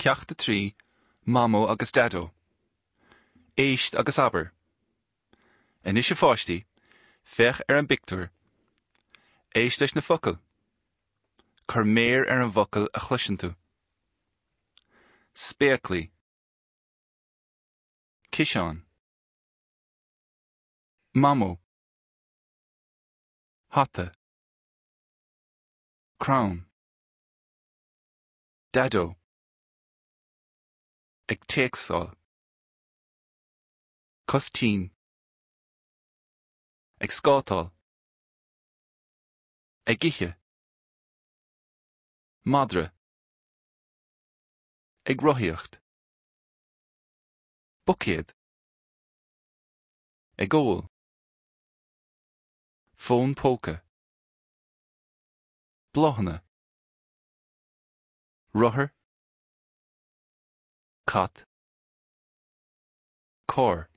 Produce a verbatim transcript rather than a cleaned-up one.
Ceacht a trí, Mamó agus Daideo. Éist agus abair. Anois a pháistí, féach ar an bpictiúr. Éist leis na focail. Cuir méar ar an bhfocal a chloiseann tú. Spéaclaí. Ciseán. Mamó. Hata. Crann. Daideo. Ag téacsáil. Cos tinn. Ag scátáil. Ag ithe. Madra. Ag rothaíocht. Buicéad. Ag ól. Fón póca. Bláthanna. Rothar. Cat. Carr.